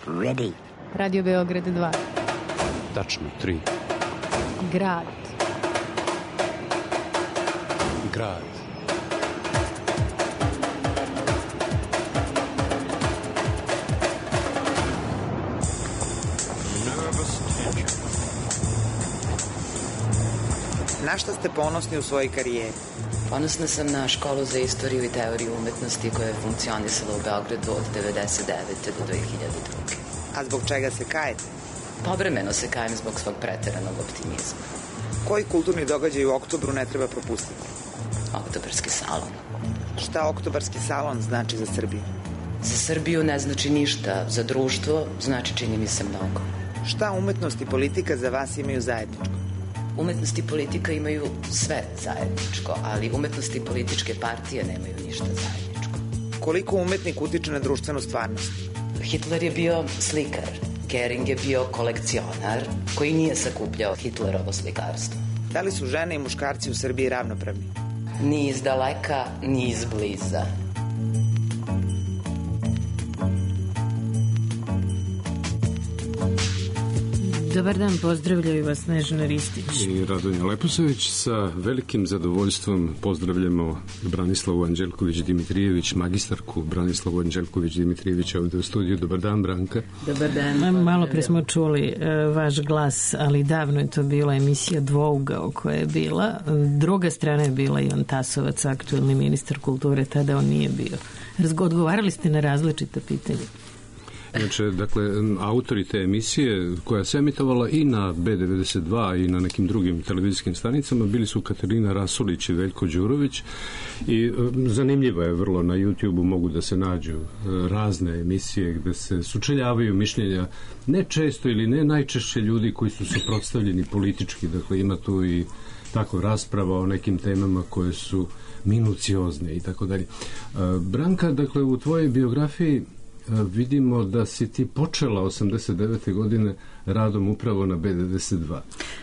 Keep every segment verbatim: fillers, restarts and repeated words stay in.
Ready. Radio Beograd dva. Tačno, tri. Grad. Grad. Na šta ste ponosni u svojoj karijeri? Ponosna sam na školu za istoriju i teoriju umetnosti koja je funkcionisala u Beogradu od devedeset devete do dve hiljade druge. A zbog čega se kajete? Povremeno se kajem zbog svog preteranog optimizma. Koji kulturni događaj u oktobru ne treba propustiti? Oktobarski salon. Šta oktobarski salon znači za Srbiju? Za Srbiju ne znači ništa, za društvo znači čini mi se mnogo. Šta umetnost i politika za vas imaju zajedničko? Umetnost i politika imaju sve zajedničko, ali umetnost i političke partije nemaju ništa zajedničko. Koliko umetnik utiče na društvenu stvarnost? Hitler je bio slikar, Gering je bio kolekcionar koji nije sakupljao Hitlerovo slikarstvo. Da li su žene i muškarci u Srbiji ravnopravni? Ni iz daleka, ni iz bliza. Dobar dan, pozdravljaju vas Snežana Ristić i Radonja Leposavić. Sa velikim zadovoljstvom pozdravljamo Branislavu Anđelković-Dimitrijević, magistarku Branislavu Anđelković-Dimitrijević ovde u studiju. Dobar dan, Branka. Dobar dan. Malo pre smo čuli uh, vaš glas, ali davno je to bila emisija Dvougao koja je bila. Druga strana je bila Ivan Tasovac, aktuelni ministar kulture, tada on nije bio. Odgovarali ste na različita pitanja. Znači, dakle, autori te emisije koja se emitovala i na B devedeset dva i na nekim drugim televizijskim stanicama bili su Katarina Rasulić i Veljko Đurović i e, zanimljivo je vrlo, na YouTube-u mogu da se nađu e, razne emisije gde se sučeljavaju mišljenja ne često ili ne najčešće ljudi koji su suprotstavljeni politički, dakle ima tu i tako rasprava o nekim temama koje su minuciozne i tako dalje. Branka, dakle, u tvojoj biografiji vidimo da si ti počela osamdeset devete godine radom upravo na B devedeset dva.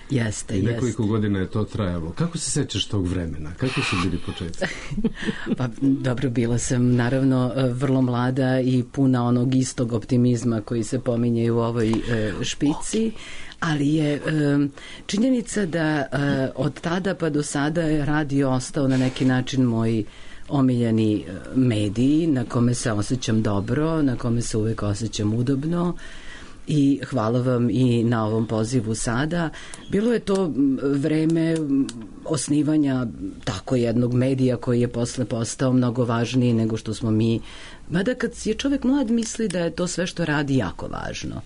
Jeste, I nekoliko jeste. godina je to trajalo. Kako se sećaš tog vremena? Kako su bili početci? Pa dobro, bila sam naravno vrlo mlada i puna onog istog optimizma koji se pominje u ovoj e, špici, ali je e, činjenica da e, od tada pa do sada je radio ostao na neki način moj omiljeni mediji na kome se osjećam dobro, na kome se uvek osjećam udobno i hvala vam i na ovom pozivu sada. Bilo je to vreme osnivanja tako jednog medija koji je posle postao mnogo važniji nego što smo mi, mada kad je čovek mlad misli da je to sve što radi jako važno.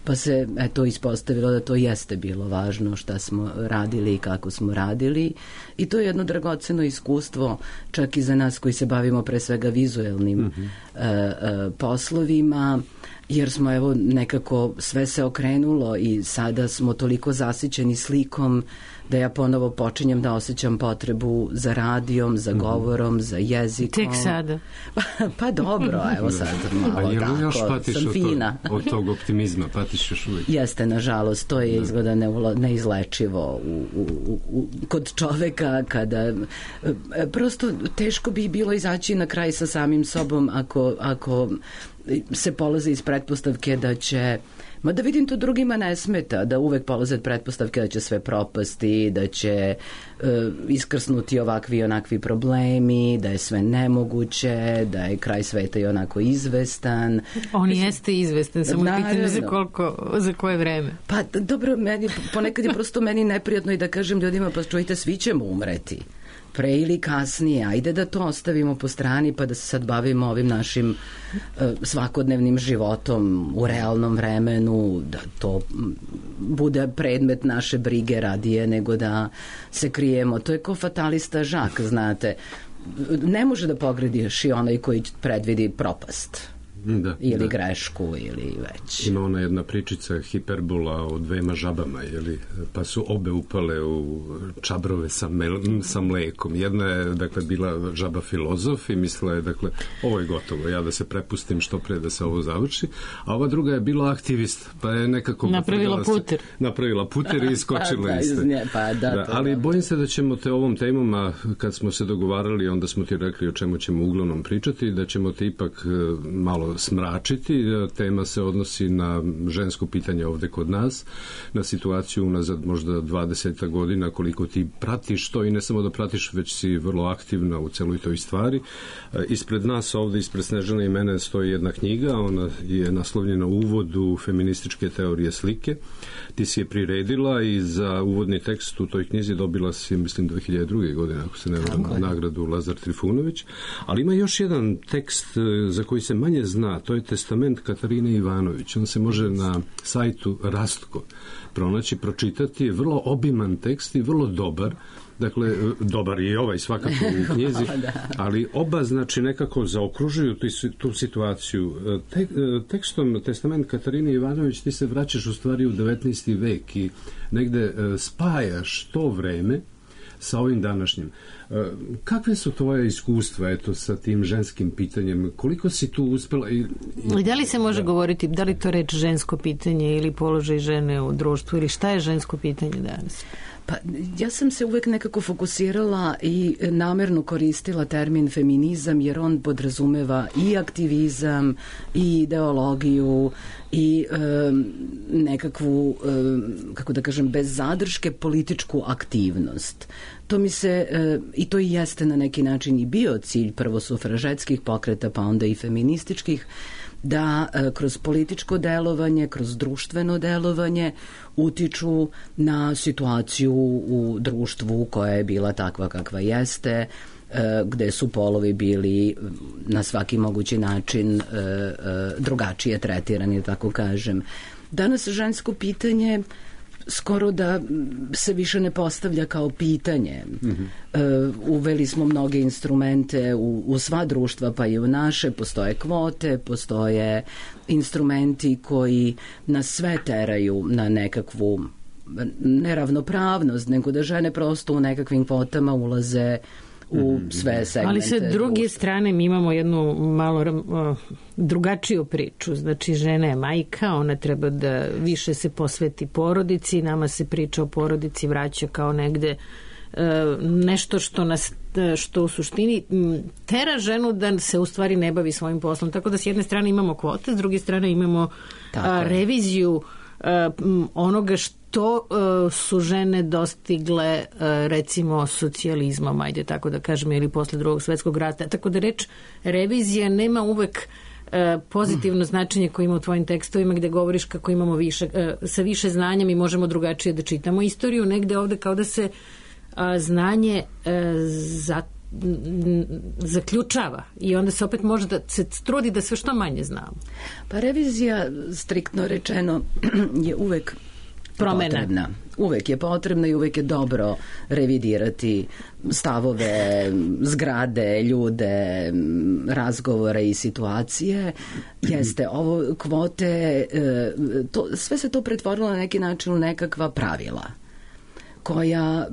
Pa se eto ispostavilo da to jeste bilo važno šta smo radili i kako smo radili i to je jedno dragoceno iskustvo čak i za nas koji se bavimo pre svega vizuelnim mm-hmm. uh, uh, poslovima, jer smo evo nekako sve se okrenulo i sada smo toliko zasićeni slikom da ja ponovo počinjem da osjećam potrebu za radijom, za govorom, za jezikom. Tek sada. Pa, pa dobro, evo sad malo pa, tako, još patiš sam od fina. Tog, od tog optimizma, patiš još uvijek. Jeste, nažalost, to je izgleda neulo, neizlečivo u, u, u, kod čoveka kada prosto teško bi bilo izaći na kraj sa samim sobom ako, ako se polaze iz pretpostavke da će, ma da vidim to drugima ne smeta, da uvek polaze od pretpostavke da će sve propasti, da će uh, iskrsnuti ovakvi i onakvi problemi, da je sve nemoguće, da je kraj sveta i onako izvestan. On Mislim, jeste izvestan, samo pitanje za koliko, za koje vreme. Pa dobro, meni, ponekad je prosto meni neprijatno i da kažem ljudima, pa čujte, svi ćemo umreti. Pre ili kasnije, ajde da to ostavimo po strani pa da se sad bavimo ovim našim uh, svakodnevnim životom u realnom vremenu, da to bude predmet naše brige radije nego da se krijemo. To je ko fatalista Žak, znate. Ne može da pogrediš i onaj koji predvidi propast. Da, ili da. grešku ili već. Ima ona jedna pričica hiperbola o dvema žabama, jeli? Pa su obe upale u čabrove sa, mel, sa mlekom. Jedna je, dakle, bila žaba filozof i mislila je, dakle, ovo je gotovo, ja da se prepustim što pre da se ovo završi, a ova druga je bila aktivist, pa je nekako napravila puter. Se, napravila puter i iskočila pa, iste. Nje, pa, da, da, ali bojim se da ćemo te ovom temom, a kad smo se dogovarali, onda smo ti rekli o čemu ćemo uglavnom pričati, da ćemo te ipak malo malo smračiti. Tema se odnosi na žensko pitanje ovde kod nas, na situaciju unazad možda dvadeset godina, koliko ti pratiš to i ne samo da pratiš, već si vrlo aktivna u celoj toj stvari. Ispred nas ovde, ispred Snežane i mene stoji jedna knjiga, ona je naslovljena Uvod u feminističke teorije slike. Ti si je priredila i za uvodni tekst u toj knjizi dobila si, mislim, dve hiljade druge. godine, ako se ne varam, nagradu Lazar Trifunović. Ali ima još jedan tekst za koji se manje zna, to je Testament Katarine Ivanović. On se može na sajtu Rastko pronaći, pročitati. Vrlo obiman tekst i vrlo dobar. Dakle, dobar je ovaj svakako u knjizi, ali oba znači nekako zaokružuju tu situaciju. Te, tekstom Testament Katarine Ivanović ti se vraćaš u stvari u devetnaesti vek i negde spajaš to vreme sa ovim današnjim. Kakve su tvoje iskustva eto, sa tim ženskim pitanjem? Koliko si tu uspela? I, i... Da li se može da. govoriti, da li to reč žensko pitanje ili položaj žene u društvu ili šta je žensko pitanje danas? Pa ja sam se uvek nekako fokusirala i namerno koristila termin feminizam jer on podrazumeva i aktivizam i ideologiju i e, nekakvu, e, kako da kažem, bez zadrške političku aktivnost. To mi se, e, i to i jeste na neki način i bio cilj prvo sufražetskih pokreta pa onda i feminističkih, da e, kroz političko delovanje, kroz društveno delovanje utiču na situaciju u društvu koja je bila takva kakva jeste, e, gde su polovi bili na svaki mogući način e, e, drugačije tretirani, tako kažem. Danas žensko pitanje skoro da se više ne postavlja kao pitanje. Mm-hmm. Uh, uveli smo mnoge instrumente u, u sva društva, pa i u naše. Postoje kvote, postoje instrumenti koji nas sve teraju na nekakvu neravnopravnost, nego da žene prosto u nekakvim kvotama ulaze u sve segmente. Ali sa druge društva. strane mi imamo jednu malo uh, drugačiju priču. Znači žena je majka, ona treba da više se posveti porodici, nama se priča o porodici vraća kao negde uh, nešto što nas što u suštini tera ženu da se u stvari ne bavi svojim poslom. Tako da s jedne strane imamo kvote, s druge strane imamo uh, reviziju uh, onoga što to uh, su žene dostigle uh, recimo socijalizmom, ajde tako da kažem, ili posle drugog svetskog rata. Tako da reč revizija nema uvek uh, pozitivno značenje koje ima u tvojim tekstovima gde govoriš kako imamo više, uh, sa više znanja mi možemo drugačije da čitamo istoriju, negde ovde kao da se uh, znanje uh, za zaključava i onda se opet može da se trudi da sve što manje znamo. Pa revizija, striktno rečeno, je uvek promena. Potrebna. Uvek je potrebna i uvek je dobro revidirati stavove, zgrade, ljude, razgovore i situacije. Jeste, ovo kvote, to, sve se to pretvorilo na neki način u nekakva pravila koja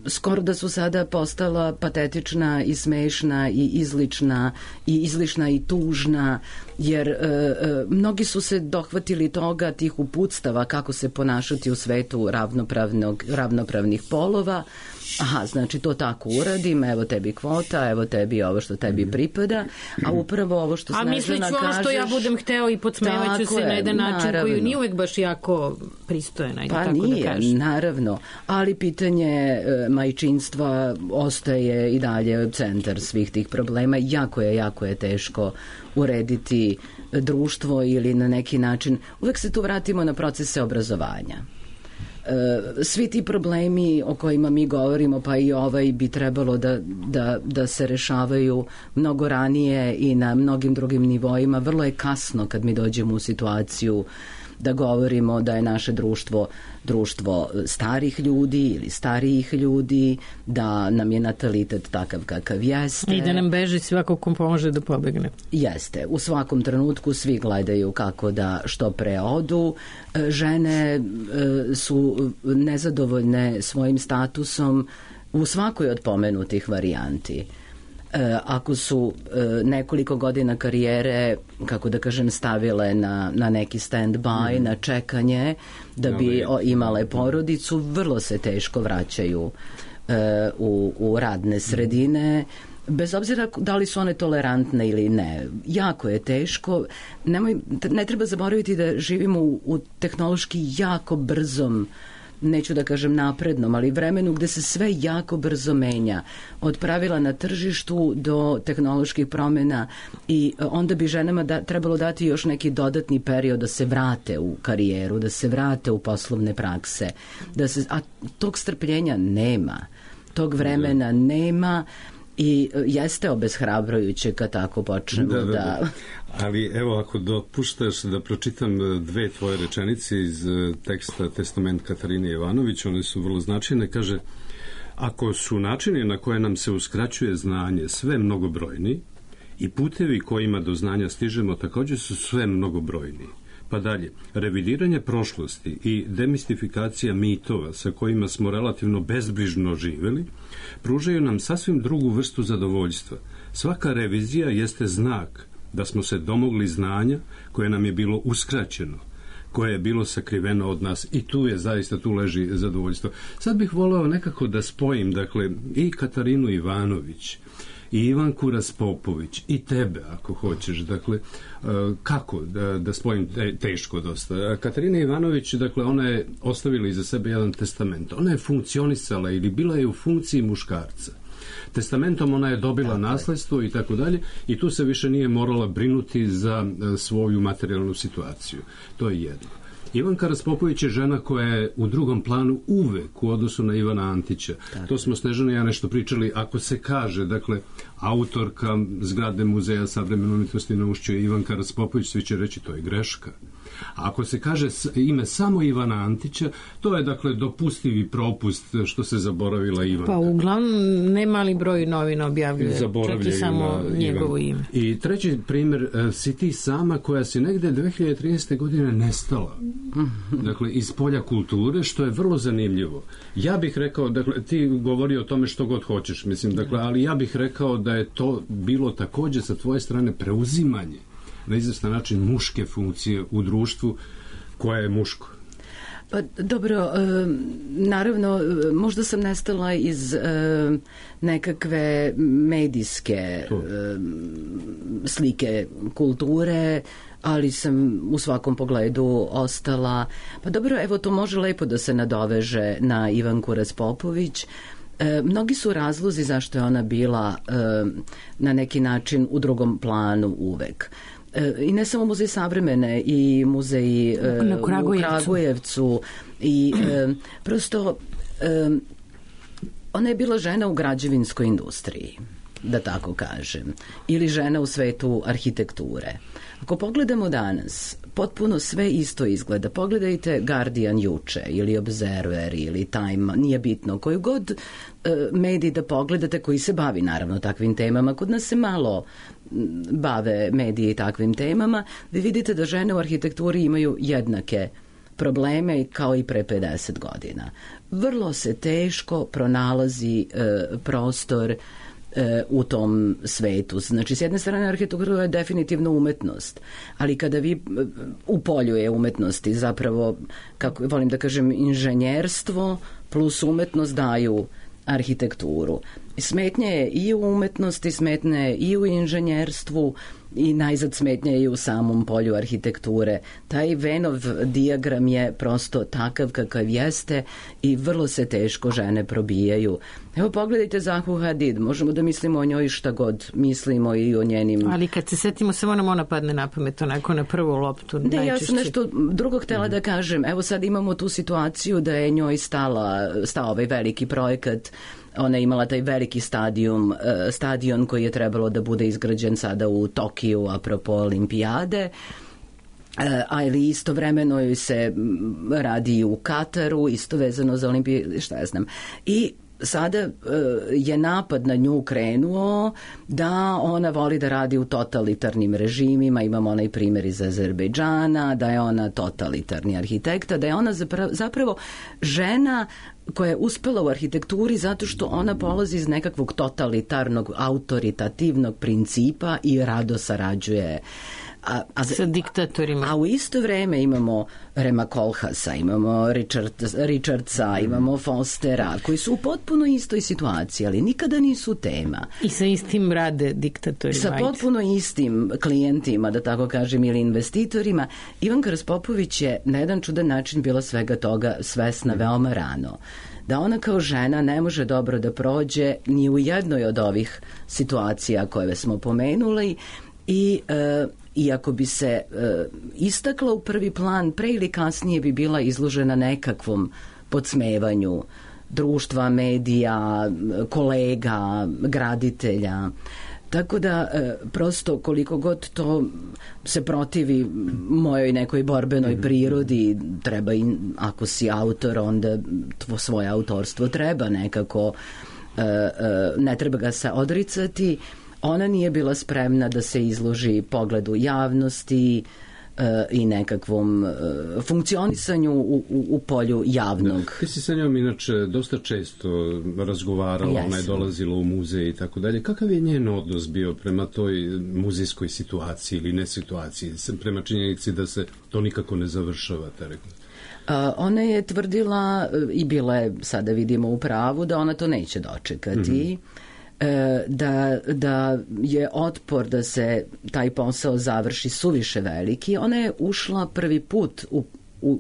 skoro da su sada postala patetična i smešna i izlična i izlišna i tužna, jer e, e, mnogi su se dohvatili toga, tih uputstava kako se ponašati u svetu ravnopravnog, ravnopravnih polova. Aha, znači to tako uradim, evo tebi kvota, evo tebi ovo što tebi pripada, a upravo ovo što Snežana kažeš... A misliću ono što ja budem hteo i podsmevaću se na jedan način koji nije uvek baš jako pristojan, ajde pa tako nije, da kažem. Naravno, ali pitanje e, majčinstva ostaje i dalje centar svih tih problema. Jako je, jako je teško urediti društvo ili na neki način. Uvek se tu vratimo na procese obrazovanja. Svi ti problemi o kojima mi govorimo, pa i ovaj, bi trebalo da, da, da se rešavaju mnogo ranije i na mnogim drugim nivoima. Vrlo je kasno kad mi dođemo u situaciju da govorimo da je naše društvo društvo starih ljudi ili starijih ljudi, da nam je natalitet takav kakav jeste. I da nam beži svako kom pomože da pobegne. Jeste. U svakom trenutku svi gledaju kako da što pre odu. Žene su nezadovoljne svojim statusom u svakoj od pomenutih varijanti. Ako su nekoliko godina karijere, kako da kažem, stavile na, na neki stand-by, mm. na čekanje da bi imale porodicu, vrlo se teško vraćaju u, u radne sredine bez obzira da li su one tolerantne ili ne, jako je teško. Nemoj, ne treba zaboraviti da živimo u, u tehnološki jako brzom, neću da kažem naprednom, ali vremenu gde se sve jako brzo menja. Od pravila na tržištu do tehnoloških promjena i onda bi ženama da, trebalo dati još neki dodatni period da se vrate u karijeru, da se vrate u poslovne prakse. Da se, a tog strpljenja nema. Tog vremena nema i jeste obeshrabrujuće kad tako počnemo da... da, da... da... Ali evo, ako dopuštaš da pročitam dve tvoje rečenice iz teksta Testament Katarine Ivanović, one su vrlo značajne. Kaže, ako su načini na koje nam se uskraćuje znanje sve mnogobrojni i putevi kojima do znanja stižemo također su sve mnogobrojni. Pa dalje, revidiranje prošlosti i demistifikacija mitova sa kojima smo relativno bezbrižno živeli pružaju nam sasvim drugu vrstu zadovoljstva. Svaka revizija jeste znak da smo se domogli znanja koje nam je bilo uskraćeno, koje je bilo sakriveno od nas i tu je zaista, tu leži zadovoljstvo. Sad bih voleo nekako da spojim, dakle, i Katarinu Ivanović i Ivanku Raspopović i tebe, ako hoćeš, dakle, kako da, da spojim, teško dosta. Katarina Ivanović, dakle, ona je ostavila iza sebe jedan testament. Ona je funkcionisala ili bila je u funkciji muškarca. Testamentom ona je dobila nasledstvo i tako dalje i tu se više nije morala brinuti za svoju materijalnu situaciju. To je jedno. Ivanka Raspopović je žena koja je u drugom planu uvek u odnosu na Ivana Antića. Tako. To smo Snežana i ja nešto pričali. Ako se kaže, dakle, autorka zgrade Muzeja savremene umjetnosti na Ušću je Ivanka Raspopović, svi će reći to je greška. A ako se kaže ime samo Ivana Antića, to je, dakle, dopustivi propust što se zaboravila Ivanka. Pa uglavnom ne mali broj novina objavljuje, čak i samo njegovo ime. I treći primjer, si ti sama koja si negde dve hiljade trinaeste. godine nestala. Dakle, iz polja kulture, što je vrlo zanimljivo. Ja bih rekao, dakle, ti govori o tome što god hoćeš, mislim, dakle, ali ja bih rekao da je to bilo također sa tvoje strane preuzimanje na izvestan način muške funkcije u društvu koje je muško. Pa dobro, e, naravno, možda sam nestala iz e, nekakve medijske e, slike kulture, ali sam u svakom pogledu ostala. Pa dobro, evo, to može lepo da se nadoveže na Ivanku Raspopović. E, mnogi su razlozi zašto je ona bila e, na neki način u drugom planu uvek. I ne samo muzej savremene i muzej e, u Kragujevcu i e, prosto e, ona je bila žena u građevinskoj industriji, da tako kažem, ili žena u svetu arhitekture. Ako pogledamo danas, potpuno sve isto izgleda. Pogledajte Guardian juče ili Observer ili Time, nije bitno, koju god e, medij da pogledate koji se bavi naravno takvim temama. Kod nas se malo bave mediji takvim temama. Vi vidite da žene u arhitekturi imaju jednake probleme kao i pre pedeset godina. Vrlo se teško pronalazi e, prostor u tom svetu. Znači, s jedne strane arhitektura je definitivno umetnost, ali kada vi u polju je umetnosti zapravo, kako volim da kažem, inženjerstvo plus umetnost daju arhitekturu. Smetnje je i u umetnosti, smetnje je i u inženjerstvu i najzad smetnje je i u samom polju arhitekture. Taj Venov dijagram je prosto takav kakav jeste i vrlo se teško žene probijaju. Evo, pogledajte Zahu Hadid, možemo da mislimo o njoj šta god mislimo i o njenim... Ali kad se setimo, samo nam ona padne na pamet, onako na prvu loptu. Ne, najčešće. Ja sam nešto drugo htjela mm. da kažem. Evo, sad imamo tu situaciju da je njoj stala, stao ovaj veliki projekat. Ona je imala taj veliki stadion, stadion koji je trebalo da bude izgrađen sada u Tokiju, apropo olimpijade, ali istovremeno joj se radi u Kataru, isto vezano za olimpijade, šta ja znam. I sada je napad na nju krenuo da ona voli da radi u totalitarnim režimima. Imamo onaj primjer iz Azerbejdžana, da je ona totalitarni arhitekta, da je ona zapravo, zapravo žena koja je uspela u arhitekturi zato što ona polazi iz nekakvog totalitarnog, autoritativnog principa i rado sarađuje A, a, sa diktatorima. A u isto vreme imamo Rema Koolhaasa, imamo Richard, Richardsa, imamo Fostera, koji su u potpuno istoj situaciji, ali nikada nisu tema. I sa istim rade diktatori. Sa potpuno istim klijentima, da tako kažem, ili investitorima. Ivanka Raspopović je na jedan čudan način bila svega toga svesna veoma rano. Da ona kao žena ne može dobro da prođe ni u jednoj od ovih situacija koje smo pomenuli i e, iako bi se e, istakla u prvi plan, pre ili kasnije bi bila izložena nekakvom podsmevanju društva, medija, kolega, graditelja. Tako da, e, prosto, koliko god to se protivi mojoj nekoj borbenoj prirodi, treba i, ako si autor, onda tvo, svoje autorstvo treba nekako, e, e, ne treba ga se odricati. Ona nije bila spremna da se izloži pogledu javnosti e, i nekakvom e, funkcionisanju u, u, u polju javnog. Da, ti si sa njom inače dosta često razgovarala, yes. Ona je dolazila u muzej i tako dalje. Kakav je njen odnos bio prema toj muzejskoj situaciji ili ne situaciji, prema činjenici da se to nikako ne završava, te rekla? Uh, ona je tvrdila i bila je, sada vidimo u pravu, da ona to neće dočekati. Mm-hmm. Da, da je otpor da se taj posao završi suviše veliki. Ona je ušla prvi put u, u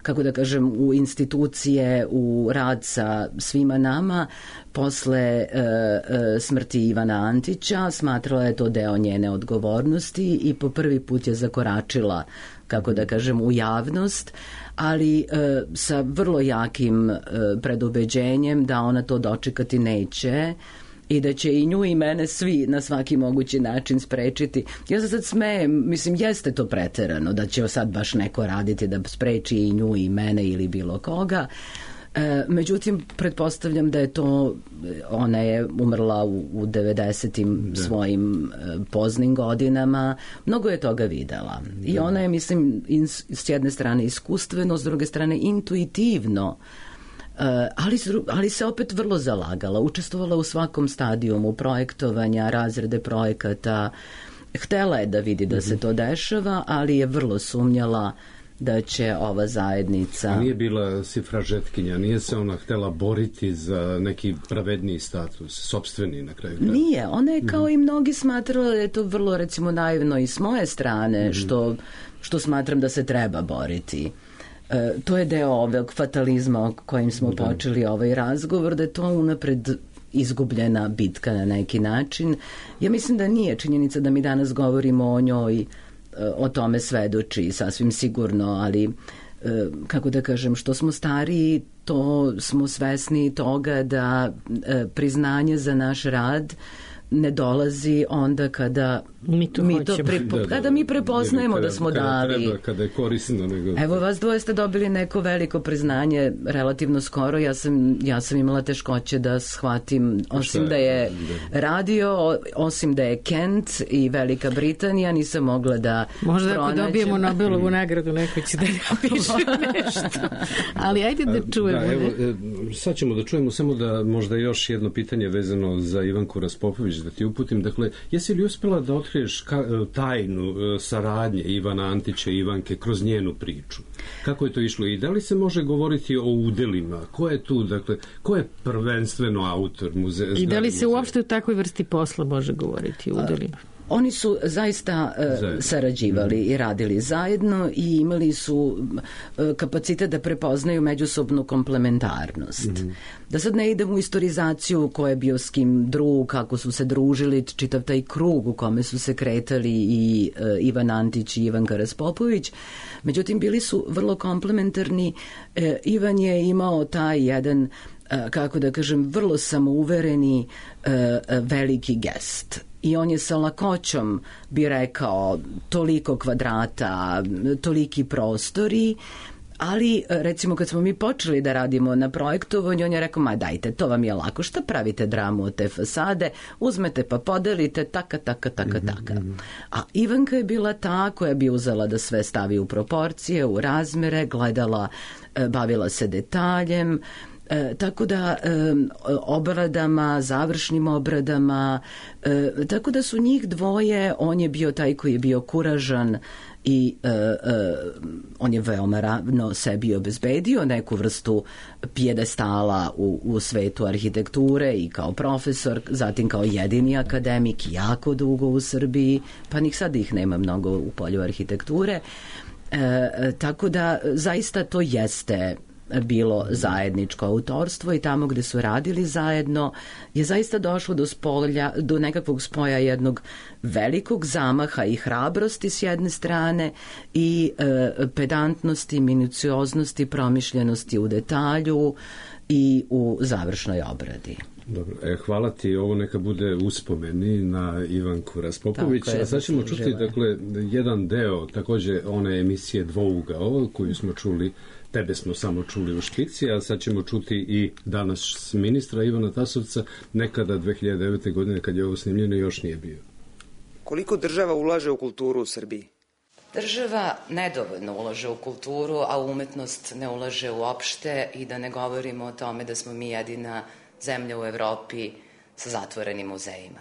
kako da kažem, u institucije, u rad sa svima nama posle e, e, smrti Ivana Antića. Smatrala je to deo njene odgovornosti i po prvi put je zakoračila, kako da kažem, u javnost, ali e, sa vrlo jakim e, predubeđenjem da ona to dočekati neće i da će i nju i mene svi na svaki mogući način sprečiti. Ja se sad smejem, mislim, jeste to preterano da će sad baš neko raditi da spreči i nju i mene ili bilo koga. E, međutim, pretpostavljam da je to, ona je umrla u, u devedesetim da. svojim e, poznim godinama, mnogo je toga videla. Da. I ona je, mislim, ins, s jedne strane iskustveno, s druge strane intuitivno, Uh, ali, ali se opet vrlo zalagala, učestvovala u svakom stadijumu projektovanja, razrede projekata, htela je da vidi da se to dešava, ali je vrlo sumnjala da će ova zajednica... A nije bila sifražetkinja, nije se ona htela boriti za neki pravedniji status, sopstveni na kraju kraja? Nije, ona je kao mm-hmm. i mnogi smatrala da je to vrlo, recimo, naivno i s moje strane, mm-hmm. što, što smatram da se treba boriti. E, to je deo ovog fatalizma o kojim smo da. počeli ovaj razgovor, da je to unapred izgubljena bitka na neki način. Ja mislim da nije činjenica da mi danas govorimo o njoj, o tome svedoči sasvim sigurno, ali kako da kažem, što smo stariji, to smo svesni toga da priznanje za naš rad ne dolazi onda kada mi to, mi to prepo, da, da, kada mi prepoznajemo kada, da smo kada dali. Treba, kada je korisno. Nego... Evo, vas dvoje ste dobili neko veliko priznanje relativno skoro. Ja sam, ja sam imala teškoće da shvatim, osim da je radio, osim da je Kent i Velika Britanija, nisam mogla da možda pronađem. Ako dobijemo Nobelovu nagradu, neko će da napiše nešto. Ali ajde da čujemo. Da, evo, sad ćemo da čujemo, samo da možda još jedno pitanje vezano za Ivanku Raspopović da ti uputim. Dakle, jesi li uspela da otkriješ ka, tajnu saradnje Ivana Antića i Ivanke kroz njenu priču? Kako je to išlo? I da li se može govoriti o udelima? Ko je tu, dakle, ko je prvenstveno autor muzeja? I da li se uopšte u takvoj vrsti posla može govoriti o udelima? Oni su zaista uh, sarađivali mm-hmm. i radili zajedno i imali su uh, kapacitet da prepoznaju međusobnu komplementarnost. Mm-hmm. Da sad ne idem u istorizaciju ko je bio s kim drug, kako su se družili, čitav taj krug u kome su se kretali i uh, Ivan Antić i Ivanka Raspopović. Međutim, bili su vrlo komplementarni. Uh, Ivan je imao taj jedan, uh, kako da kažem, vrlo samouvereni uh, veliki gest. I on je sa lakoćom bi rekao toliko kvadrata, toliki prostori, ali recimo kad smo mi počeli da radimo na projektovanju, on je rekao, ma dajte, to vam je lako, šta pravite dramu od te fasade, uzmete pa podelite, taka, taka, taka, taka. A Ivanka je bila ta koja bi uzela da sve stavi u proporcije, u razmere, gledala, bavila se detaljem, E, tako da e, obradama, završnim obradama, e, tako da su njih dvoje, on je bio taj koji je bio kuražan i e, e, on je veoma ravno sebi obezbedio neku vrstu pijedestala u, u svetu arhitekture i kao profesor, zatim kao jedini akademik jako dugo u Srbiji, pa nik sad ih nema mnogo u polju arhitekture. E, tako da zaista to jeste bilo zajedničko autorstvo i tamo gde su radili zajedno je zaista došlo do spolja, do nekakvog spoja jednog velikog zamaha i hrabrosti s jedne strane i e, pedantnosti, minucioznosti, promišljenosti u detalju i u završnoj obradi. Dobro, e, hvala ti, ovo neka bude uspomeni na Ivanku Raspopović, je, a sad ćemo čuti dakle, jedan deo takođe one emisije Dvougao koju smo čuli, tebe smo samo čuli u špici, a sad ćemo čuti i danas ministra Ivana Tasovca, nekada dve hiljade devete. godine kad je ovo snimljeno još nije bio. Koliko država ulaže u kulturu u Srbiji? Država nedovoljno ulaže u kulturu, a umetnost ne ulaže uopšte i da ne govorimo o tome da smo mi jedina zemlja u Evropi sa zatvorenim muzejima.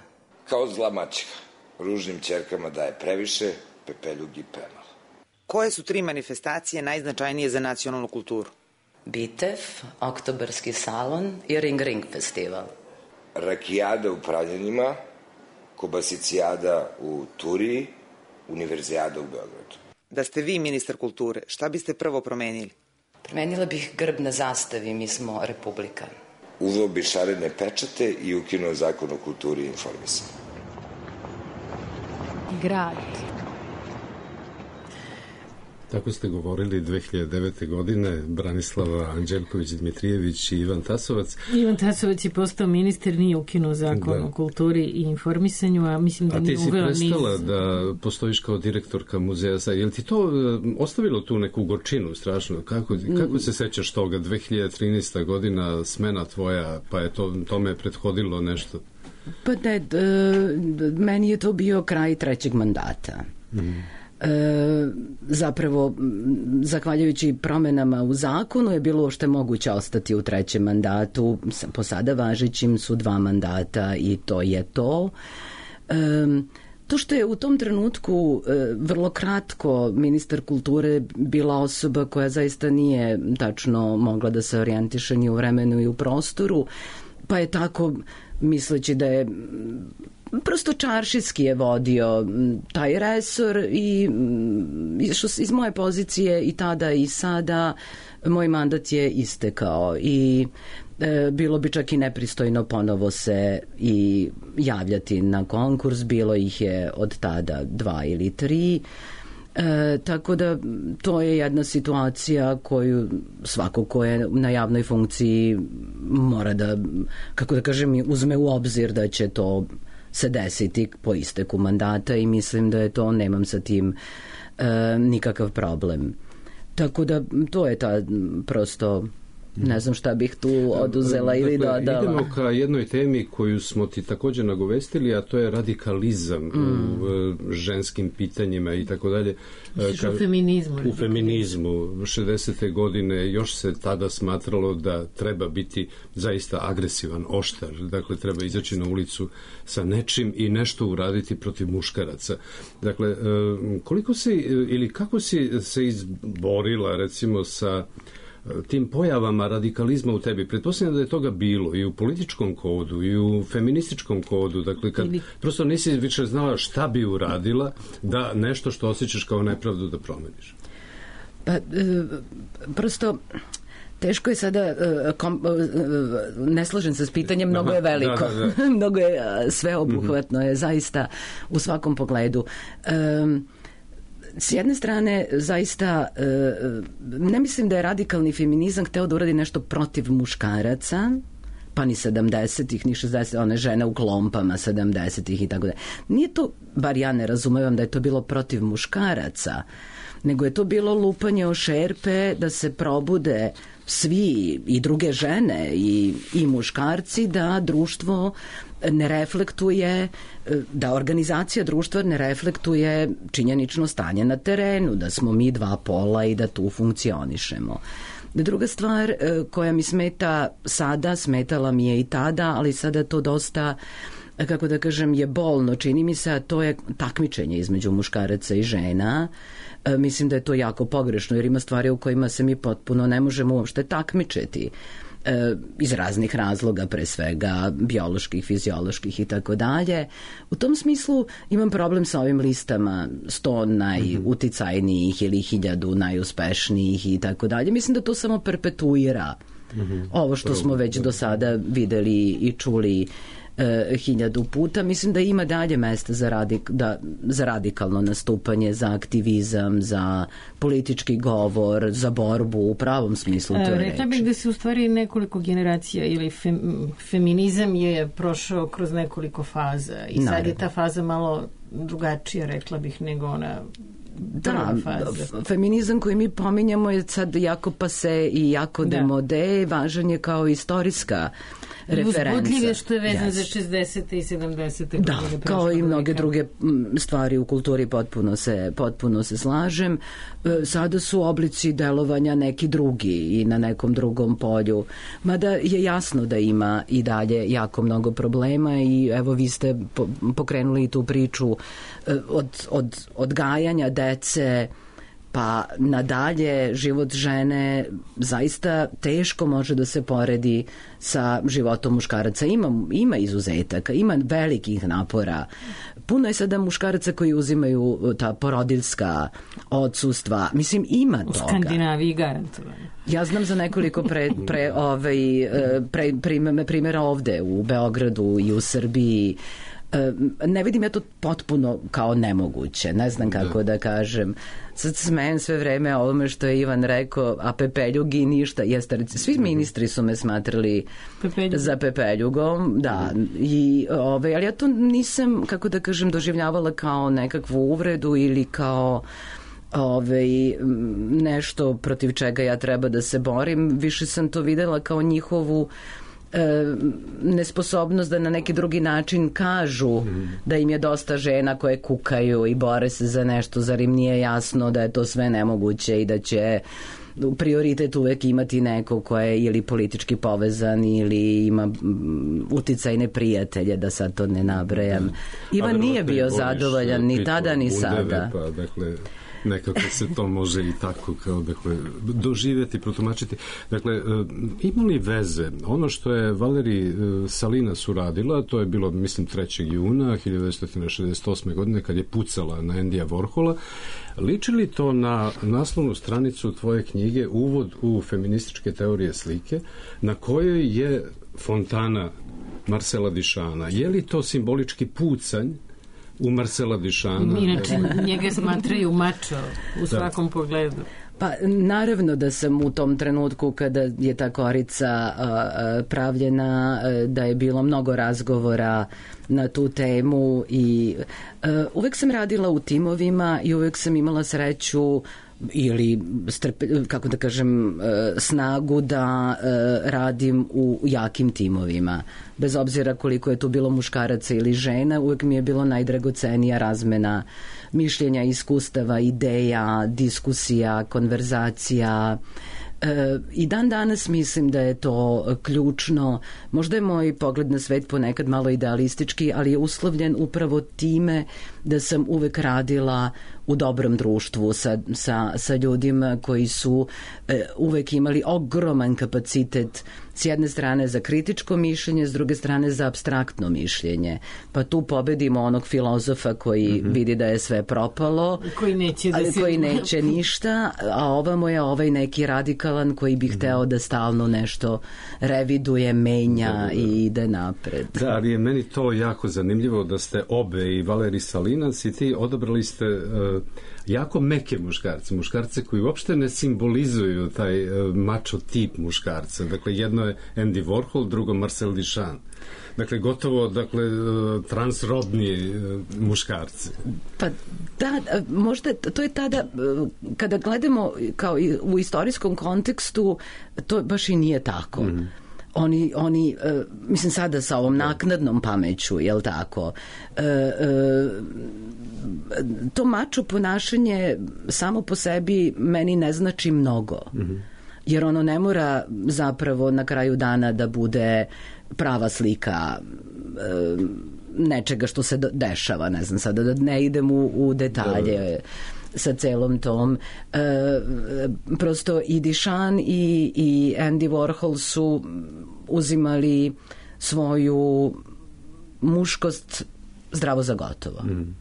Kao zla maćeha, ružnim ćerkama daje previše, pepeljugi premalo. Koje su tri manifestacije najznačajnije za nacionalnu kulturu? Bitev, Oktobarski salon i Ring Ring festival. Rakijada u Pravljanjima, Kobasicijada u Turiji, Univerzijada u Beogradu. Da ste vi ministar kulture, šta biste prvo promenili? Promenila bih grb na zastavi, mi smo republika. Uveo bi šarene pečate i ukinuo zakon o kulturi i informisanju. Grad. Tako ste govorili dve hiljade devete. godine Branislava Anđelković-Dmitrijević i Ivan Tasovac. Ivan Tasovac je postao ministar, nije ukinuo zakon da. o kulturi i informisanju, a mislim da a nije uveo niz... A ti si prestala niz... da postojiš kao direktorka muzeja. Je li ti to ostavilo tu neku gorčinu strašno? Kako, kako se sećaš toga? dve hiljade trinaesta. godina, smena tvoja, pa je to, tome prethodilo nešto? Pa ne, d, meni je to bio kraj trećeg mandata. Mm. E, zapravo zahvaljujući promenama u zakonu je bilo što je moguće ostati u trećem mandatu, po sada važećim su dva mandata i to je to. E, to što je u tom trenutku e, vrlo kratko ministar kulture bila osoba koja zaista nije tačno mogla da se orijentiše ni u vremenu i u prostoru, pa je tako misleći da je prosto čaršijski je vodio taj resor i što iz moje pozicije i tada i sada moj mandat je istekao i e, bilo bi čak i nepristojno ponovo se i javljati na konkurs, bilo ih je od tada dva ili tri. E, tako da to je jedna situacija koju svako ko je na javnoj funkciji mora da, kako da kažem, uzme u obzir da će to se desiti po isteku mandata i mislim da je to, nemam sa tim e, nikakav problem. Tako da to je ta prosto, ne znam šta bih tu oduzela dakle, ili dodala. Idemo ka jednoj temi koju smo ti također nagovestili, a to je radikalizam mm. u ženskim pitanjima i tako dalje. Ka, u feminizmu. U feminizmu. šezdesete. godine još se tada smatralo da treba biti zaista agresivan, oštar. Dakle, treba izaći na ulicu sa nečim i nešto uraditi protiv muškaraca. Dakle, koliko si ili kako si se izborila recimo sa tim pojavama radikalizma u tebi? Pretpostavljam da je toga bilo i u političkom kodu i u feminističkom kodu, dakle kad ili... prosto nisi više znala šta bi uradila da nešto što osjećaš kao nepravdu da promeniš. Pa, e, prosto teško je sada, kom, ne slažem se s pitanjem, mnogo je veliko, da, da, da. mnogo je sveobuhvatno, je zaista u svakom pogledu. Um, S jedne strane, zaista, ne mislim da je radikalni feminizam hteo da uradi nešto protiv muškaraca, pa ni sedamdesetih, ni šezdesetih, one žene u klompama sedamdesetih i tako da. Nije to, bar ja ne razumevam da je to bilo protiv muškaraca, nego je to bilo lupanje o šerpe da se probude svi i druge žene i, i muškarci, da društvo ne reflektuje, da organizacija društva ne reflektuje činjenično stanje na terenu, da smo mi dva pola i da tu funkcionišemo. Druga stvar koja mi smeta sada, smetala mi je i tada, ali sada to dosta, kako da kažem, je bolno, čini mi se, a to je takmičenje između muškaraca i žena. Mislim da je to jako pogrešno, jer ima stvari u kojima se mi potpuno ne možemo uopšte takmičiti iz raznih razloga, pre svega bioloških, fizioloških i tako dalje. U tom smislu imam problem sa ovim listama sto najuticajnijih ili hiljadu najuspešnijih i tako dalje. Mislim da to samo perpetuira ovo što smo već do sada videli i čuli e, hiljadu puta. Mislim da ima dalje mesta za, radik, da, za radikalno nastupanje, za aktivizam, za politički govor, za borbu u pravom smislu te reči. Rekla bih da se u stvari nekoliko generacija ili fem, feminizam je prošao kroz nekoliko faza i sad je ta faza malo drugačija, rekla bih, nego ona Da, feminizam koji mi pominjamo je sad jako pase i jako da. demode, važan je kao istorijska referenca. Uzbudljiv je što je vezan yes. za šezdesete i sedamdesete Da, kao i mnoge druge stvari u kulturi, potpuno se, potpuno se slažem. Sada su oblici delovanja neki drugi i na nekom drugom polju. Mada je jasno da ima i dalje jako mnogo problema i evo vi ste pokrenuli tu priču od, od odgajanja dece pa nadalje. Život žene zaista teško može da se poredi sa životom muškaraca. Ima, ima izuzetaka, ima velikih napora. Puno je sada muškaraca koji uzimaju ta porodiljska odsustva. Mislim, ima toga. U Skandinaviji garantovano. Ja znam za nekoliko pre, pre, ovaj, pre, pre, primjera ovde u Beogradu i u Srbiji. Ne vidim ja to potpuno kao nemoguće, ne znam kako da, da kažem. Sad smejem sve vreme o ovome što je Ivan rekao, a Pepeljugi ništa. Jeste, svi ministri su me smatrali Pepeljug. za Pepeljugom, da, i, ove, ali ja to nisam, kako da kažem, doživljavala kao nekakvu uvredu ili kao ove, nešto protiv čega ja treba da se borim. Više sam to videla kao njihovu E, nesposobnost da na neki drugi način kažu mm. da im je dosta žena koje kukaju i bore se za nešto, zar im nije jasno da je to sve nemoguće i da će prioritet uvek imati neko ko je ili politički povezan ili ima uticajne prijatelje, da sad to ne nabrajam. Ivan nije bio zadovoljan ni tada ni sada. Pa, dakle, nekako se to može i tako kao, dakle, doživjeti, protumačiti. Dakle, ima li veze ono što je Valerij Salinas uradila, to je bilo, mislim, trećeg juna hiljadu devetsto šezdeset osme. godine kad je pucala na Endija Warhola, liči li to na naslovnu stranicu tvoje knjige Uvod u feminističke teorije slike, na kojoj je fontana Marcela Duchampa? Je li to simbolički pucanj u Marcela Duchampa? Inače, njega smatraju mačo u svakom da. pogledu. Pa naravno da sam u tom trenutku kada je ta korica a, a, pravljena, a, da je bilo mnogo razgovora na tu temu i a, uvek sam radila u timovima i uvek sam imala sreću ili strpe, kako da kažem, snagu da radim u jakim timovima. Bez obzira koliko je tu bilo muškaraca ili žena, uvek mi je bilo najdragocenija razmena mišljenja, iskustava, ideja, diskusija, konverzacija. E, i dan danas mislim da je to ključno. Možda je moj pogled na svet ponekad malo idealistički, ali je uslovljen upravo time da sam uvek radila u dobrom društvu sa, sa, sa ljudima koji su e, uvek imali ogroman kapacitet s jedne strane za kritičko mišljenje, s druge strane za apstraktno mišljenje. Pa tu pobedimo onog filozofa koji mm-hmm. vidi da je sve propalo, koji neće, da se... koji neće ništa, a ovamo je ovaj neki radikalan koji bi mm-hmm. hteo da stalno nešto reviduje, menja da, da, da. i ide napred. Da, ali je meni to jako zanimljivo da ste obe, i Valerij Salinas i ti, odabrali ste uh, jako meke muškarce, muškarce koji uopšte ne simbolizuju taj uh, mačo tip muškarca. Dakle, jedno je Andy Warhol, drugo Marcel Duchamp. Dakle, gotovo, dakle, transrodni muškarci. Pa da, možda to je tada, kada gledamo kao u istorijskom kontekstu, to baš i nije tako. Mm-hmm. Oni, oni uh, mislim sada sa ovom naknadnom pameću, jel tako, uh, uh, to mačo ponašanje samo po sebi meni ne znači mnogo. Mm-hmm. jer ono ne mora zapravo na kraju dana da bude prava slika e, nečega što se dešava, ne znam sada da ne idem u, u detalje da, sa celom tom. E, prosto i Duchamp i, i Andy Warhol su uzimali svoju muškost zdravo za gotovo. Mm.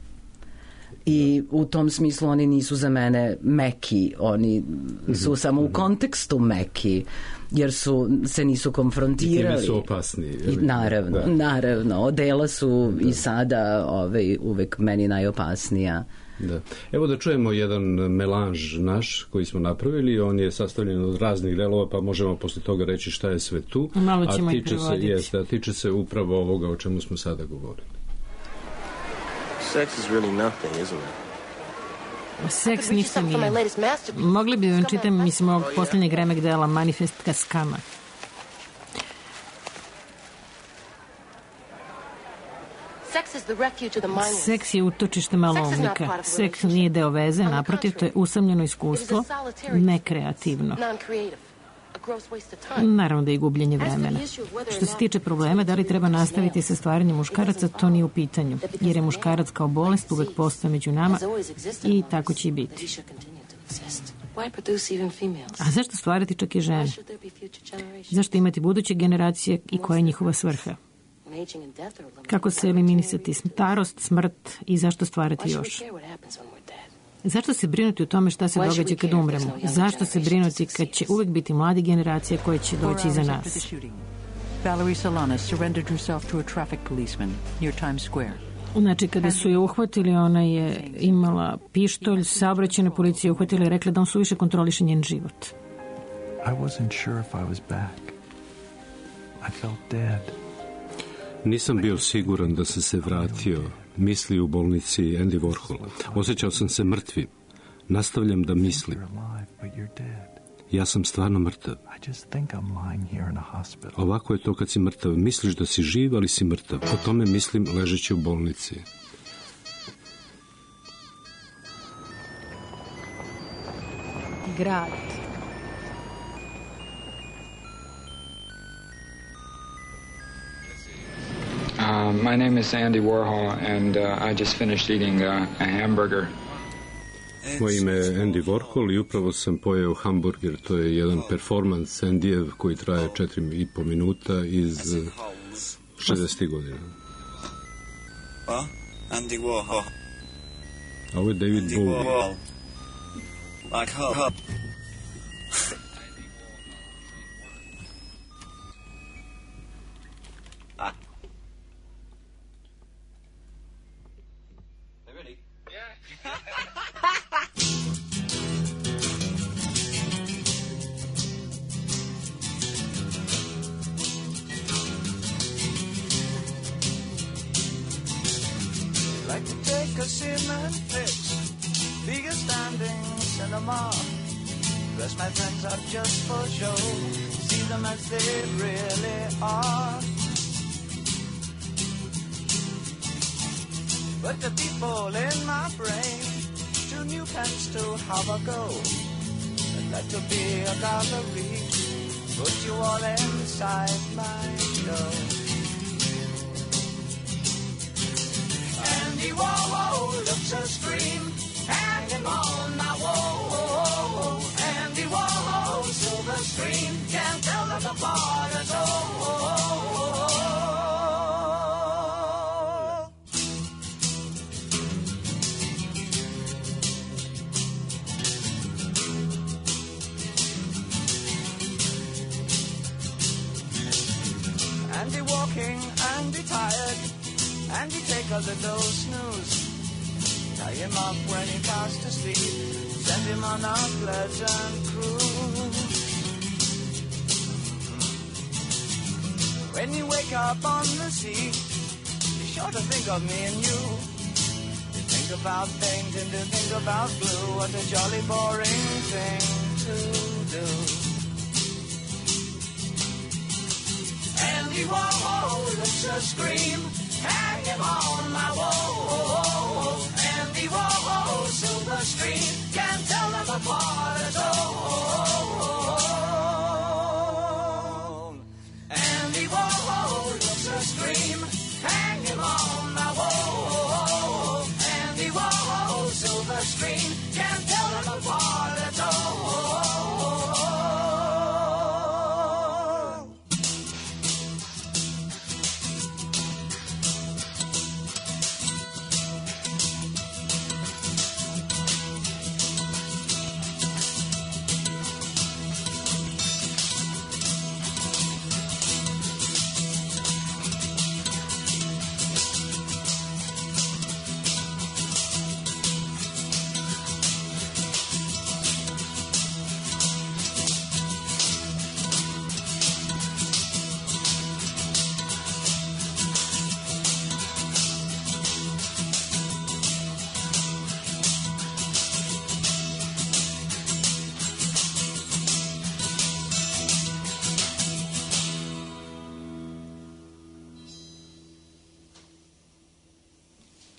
I u tom smislu oni nisu za mene meki, oni su mm-hmm. samo u kontekstu meki, jer su, se nisu konfrontirali. I time su opasni. I, naravno, da. naravno. Odela su da. i sada ovaj, uvek meni najopasnija. Da. Evo da čujemo jedan melanž naš koji smo napravili, on je sastavljen od raznih delova, pa možemo posle toga reći šta je sve tu. Malo ćemo a i tiče prevoditi. Se, jeste, a tiče se upravo ovoga o čemu smo sada govorili. Sex is really nothing, isn't it? Seks ništa nije. Mogli bi vam čitam, mislim, ovog posljednjeg remek dela Manifest Kaskama. Seks je utočište maloumnika. Seks nije deo veze, naprotiv, to je usamljeno iskustvo, nekreativno. Naravno da je gubljenje vremena. Što se tiče problema, da li treba nastaviti sa stvaranjem muškaraca, to nije u pitanju, jer je muškarac kao bolest uvek postao među nama i tako će i biti. A zašto stvarati čak i žene? Zašto imati buduće generacije i koja je njihova svrha? Kako se eliminisati starost, smrt i zašto stvarati još? Zašto se brinuti o tome šta se događa kad umremo? Zašto se brinuti kad će uvek biti mladi generacije koje će doći iza nas? Valerie Solana surrendered herself to a traffic policeman near Times Square. Znači, kada su je uhvatili, ona je imala pištolj, saobraćajna policija uhvatila i rekla da on suviše kontroliše njen život. I wasn't sure if I was back. I felt dead. Nisam bio siguran da sam se vratio, misli u bolnici Andy Warhol. Osjećao sam se mrtvim. Nastavljam da mislim. Ja sam stvarno mrtav. Ovako je to kad si mrtav. Misliš da si živ, ali si mrtav. O tome mislim ležeći u bolnici. Grad. Uh, my name is Andy Warhol, and uh, I just finished eating uh, a hamburger. Moje ime je Andy Warhol i upravo sam pojeo hamburger. To je jedan performans Andyjev koji traje četiri i po minuta iz šezdesetih godina. Andy Warhol. A ovo je David Bowie. Like her. Like to take a cement fix, bigger standing cinema. Dress my friends up just for show, see them as they really are. But the people in my brain, two new pens to have a go. I'd like to be a gallery, put you all inside my show. Andy Warhol looks a scream, hang him on my wall. Andy Warhol, silver screen, can't tell them apart at all. Andy walking, Andy tired, Andy take a little snooze. Tie him up when he fast asleep, send him on a pleasant cruise. When you wake up on the sea, be sure to think of me and you. To think about painting, to think about blue, what a jolly boring thing to do. Andy Warhol looks a scream, hang him on my wall. Andy Warhol, silver screen, can't tell them apart at all.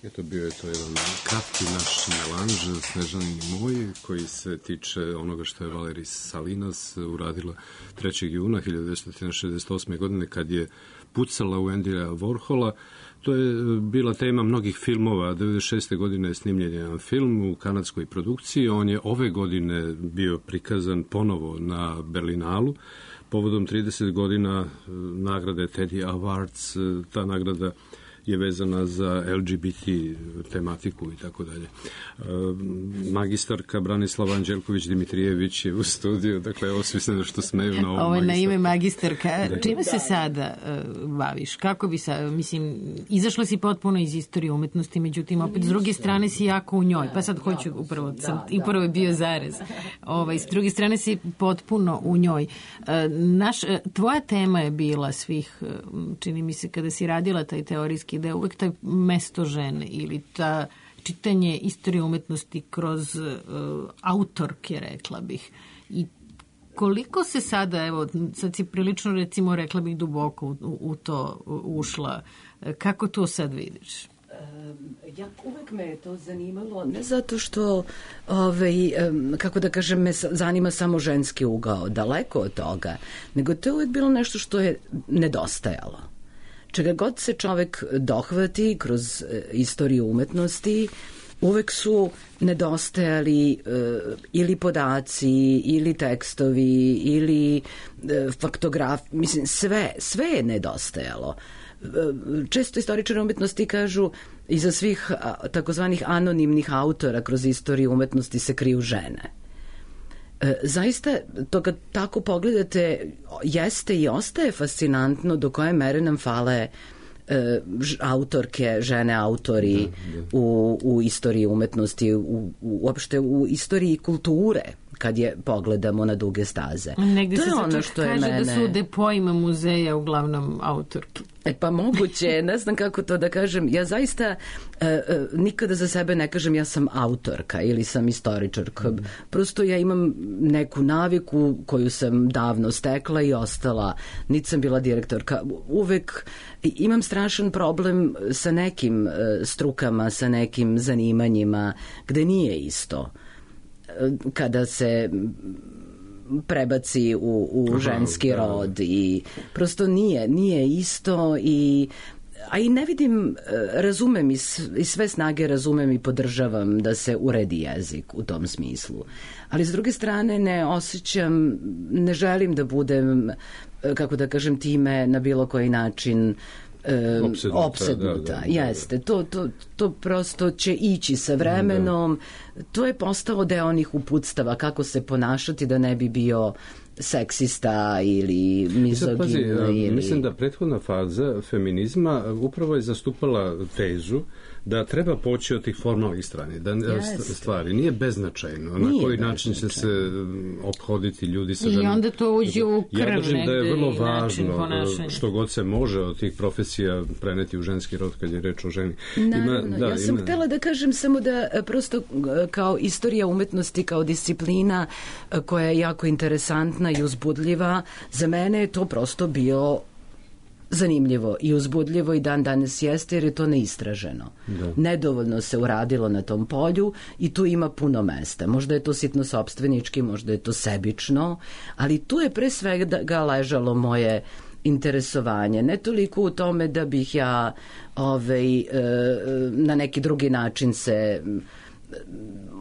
Eto, bio je to jedan kratki naš melanž Snežani moj, koji se tiče onoga što je Valerij Salinas uradila trećeg juna hiljadu devetsto šezdeset osme. godine kad je pucala u Andyja Warhola. To je bila tema mnogih filmova. devedeset šeste. godine je snimljen jedan film u kanadskoj produkciji. On je ove godine bio prikazan ponovo na Berlinalu povodom trideset godina nagrade Teddy Awards. Ta nagrada je vezana za L G B T tematiku i tako dalje. Magistarka Branislava Anđelković-Dimitrijević je u studiju, dakle, ovo svi se što smeju na ovom Ovo je na ime magistarka. magistarka. Čime se sada uh, baviš? Kako bi sa, mislim, izašla si potpuno iz istorije umetnosti, međutim, opet s druge strane si jako u njoj, pa sad hoću, upravo, sam, i prvo je bio zarez. Ovaj, s druge strane si potpuno u njoj. Uh, naš, uh, tvoja tema je bila svih, uh, čini mi se, kada si radila taj teorijski da je uvek taj mesto žene ili ta čitanje istorije umetnosti kroz uh, autorke, rekla bih. I koliko se sada, evo, sad si prilično, recimo, rekla bih duboko u, u to ušla, kako to sad vidiš? Ja, uvek me je to zanimalo, ne zato što, ovaj, kako da kažem, me zanima samo ženski ugao, daleko od toga, nego to je uvek bilo nešto što je nedostajalo. Čega god se čovek dohvati kroz istoriju umetnosti, uvek su nedostajali e, ili podaci, ili tekstovi, ili e, faktograf, mislim, sve, sve je nedostajalo. E, često istoričari umetnosti kažu iza svih takozvanih anonimnih autora kroz istoriju umetnosti se kriju žene. E, zaista, to kad tako pogledate, jeste i ostaje fascinantno do koje mere nam fale e, autorke, žene autori da, da. U, u istoriji umetnosti, u, u, uopšte u istoriji kulture, kad je pogledamo na duge staze. Negde to se je ono što kaže je mene... da su depojima muzeja uglavnom autorki. E pa moguće, ne znam kako to da kažem. Ja zaista e, e, nikada za sebe ne kažem ja sam autorka ili sam istoričarka. Mm. Prosto ja imam neku naviku koju sam davno stekla i ostala. Niti sam bila direktorka. Uvek imam strašan problem sa nekim e, strukama, sa nekim zanimanjima gde nije isto. Kada se prebaci u, u ženski rod i prosto nije, nije isto i a i ne vidim, razumem i sve snage razumem i podržavam da se uredi jezik u tom smislu. Ali s druge strane ne osjećam, ne želim da budem, kako da kažem, time na bilo koji način E, opsednuta, opsednuta. Da, da, da, jeste, to, to, to prosto će ići sa vremenom, da. To je postalo deo onih uputstava kako se ponašati da ne bi bio seksista ili mizogin. Pazi, ili... Mislim da prethodna faza feminizma upravo je zastupala tezu da treba poći od tih formalnih strani, da yes. stvari nije beznačajno, nije na koji način će se ophoditi ljudi sa ženom. I onda to uđe u krv ja negde da je vrlo važno što god se može od tih profesija preneti u ženski rod kad je reč o ženi. Naravno, ima, da, ja sam ima... htela da kažem samo da prosto kao istorija umetnosti, kao disciplina koja je jako interesantna i uzbudljiva, za mene je to prosto bio zanimljivo i uzbudljivo i dan danas jeste jer je to neistraženo. Da. Nedovoljno se uradilo na tom polju i tu ima puno mesta. Možda je to sitno sopstvenički, možda je to sebično, ali tu je pre svega ležalo moje interesovanje. Ne toliko u tome da bih ja ovaj, na neki drugi način se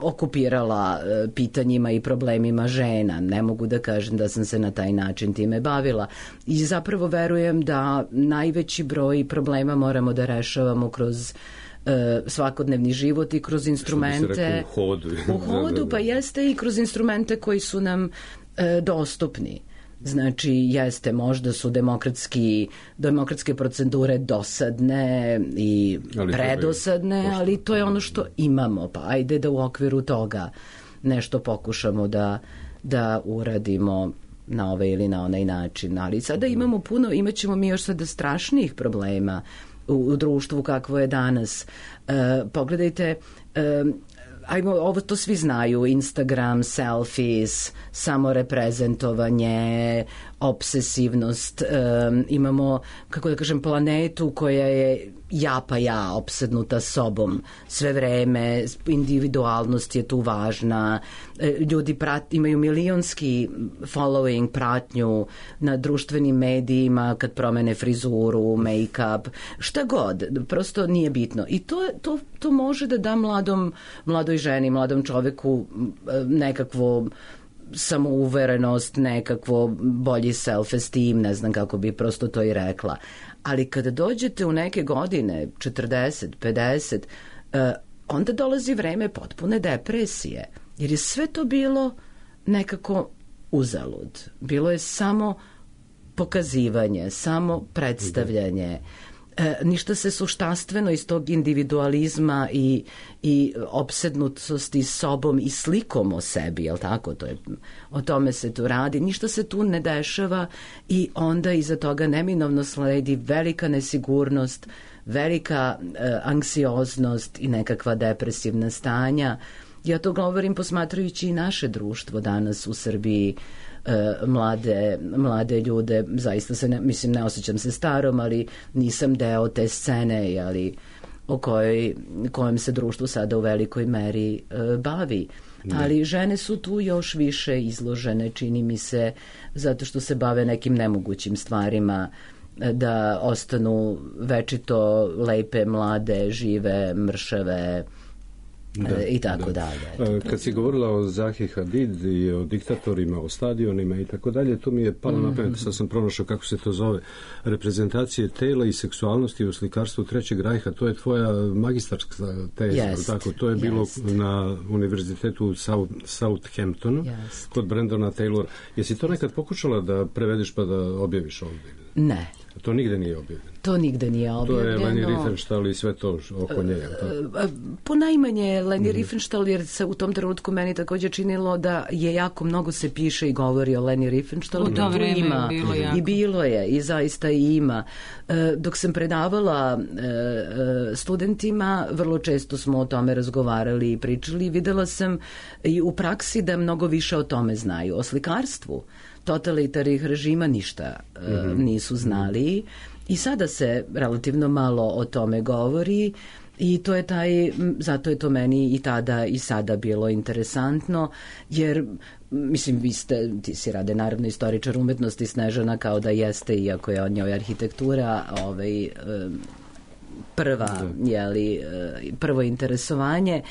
okupirala pitanjima i problemima žena. Ne mogu da kažem da sam se na taj način time bavila. I zapravo verujem da najveći broj problema moramo da rešavamo kroz uh, svakodnevni život i kroz instrumente. Što bi se rekao, u hodu. U hodu, pa jeste i kroz instrumente koji su nam uh, dostupni. Znači, jeste, možda su demokratski, demokratske procedure dosadne i ali predosadne, je, ali to je ono što imamo, pa ajde da u okviru toga nešto pokušamo da, da uradimo na ovaj ili na onaj način. Ali sada imamo puno, imat ćemo mi još sada strašnijih problema u, u društvu kakvo je danas. E, pogledajte, e, ajmo, ovo to svi znaju, Instagram, selfies, samoreprezentovanje, obsesivnost, um, imamo, kako da kažem, planetu koja je ja pa ja, opsednuta sobom sve vreme, individualnost je tu važna, ljudi prat, imaju milionski following, pratnju na društvenim medijima kad promene frizuru, make-up, šta god, prosto nije bitno. I to, to, to može da da mladom, mladoj ženi, mladom čoveku nekakvo samouverenost, nekakvo bolji self-esteem, ne znam kako bi prosto to i rekla. Ali kada dođete u neke godine, četrdeset, pedeset, onda dolazi vreme potpune depresije, jer je sve to bilo nekako uzalud. Bilo je samo pokazivanje, samo predstavljanje. E, ništa se suštanstveno iz tog individualizma i, i opsednutosti sobom i slikom o sebi, jel tako? To je, o tome se tu radi. Ništa se tu ne dešava i onda iza toga neminovno sledi velika nesigurnost, velika e, anksioznost i nekakva depresivna stanja. Ja to govorim posmatrajući i naše društvo danas u Srbiji, mlade, mlade ljude, zaista se ne, mislim, ne osjećam se starom, ali nisam deo te scene, ali o kojoj, kojem se društvo sada u velikoj meri e, bavi. Ne. Ali žene su tu još više izložene, čini mi se, zato što se bave nekim nemogućim stvarima, da ostanu večito lepe, mlade, žive, mršave, Da, i tako da. dalje. Kad si govorila o Zahi Hadid i o diktatorima, o stadionima i tako dalje, to mi je palo mm-hmm. na pamet, sad sam pronašao kako se to zove, reprezentacije tela i seksualnosti u slikarstvu Trećeg rajha, to je tvoja magistarska teza, yes. tako, to je bilo yes. na univerzitetu South, Southamptonu, yes. kod Brendona Taylora. Jesi to nekad pokušala da prevedeš pa da objaviš ovdje? Ne. To nigde nije objavljeno. To nigde nije objavljeno. To je Leni Riefenstahl i sve to oko nje. Po najmanje Leni mm. Riefenstahl, jer se u tom trenutku meni također činilo da je jako mnogo se piše i govori o Leni Riefenstahl. U to vreme ima, je bilo jako. I bilo je, i zaista i ima. Dok sam predavala studentima, vrlo često smo o tome razgovarali i pričali. Videla sam i u praksi da mnogo više o tome znaju. O slikarstvu totalitarnih režima ništa mm-hmm. nisu znali i sada se relativno malo o tome govori i to je taj, zato je to meni i tada i sada bilo interesantno, jer mislim, vi ste, ti si Rade naravno istoričar umetnosti, Snežana kao da jeste, iako je od njoj arhitektura ovaj, prva, jeli, prvo interesovanje.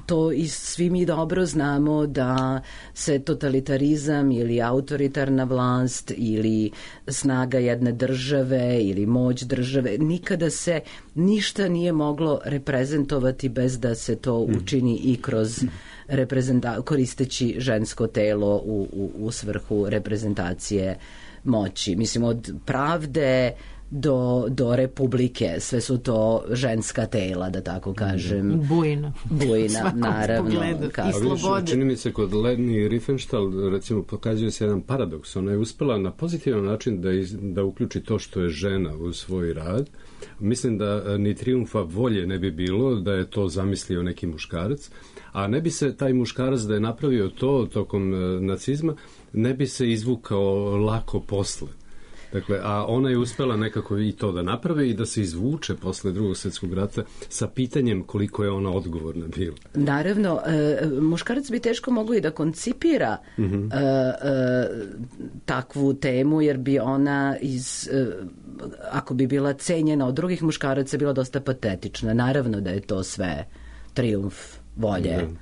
To i svi mi dobro znamo da se totalitarizam ili autoritarna vlast ili snaga jedne države ili moć države, nikada se ništa nije moglo reprezentovati bez da se to učini i kroz reprezenta- koristeći žensko telo u, u, u svrhu reprezentacije moći. Mislim, od pravde do, do republike, sve su to ženska tela, da tako kažem. Bujna. Bujna, naravno. I slobode. Čini mi se kod Leni Riefenstahl, recimo, pokazuje se jedan paradoks. Ona je uspela na pozitivan način da, iz, da uključi to što je žena u svoj rad. Mislim da ni trijumfa volje ne bi bilo da je to zamislio neki muškarac, a ne bi se taj muškarac da je napravio to tokom nacizma, ne bi se izvukao lako posle. Dakle, a ona je uspela nekako i to da napravi i da se izvuče posle Drugog svjetskog rata sa pitanjem koliko je ona odgovorna bila. Naravno, e, muškarac bi teško mogao i da koncipira mm-hmm. e, e, takvu temu, jer bi ona iz, e, ako bi bila cenjena od drugih muškaraca, bila dosta patetična. Naravno da je to sve trijumf volje. Mm-hmm.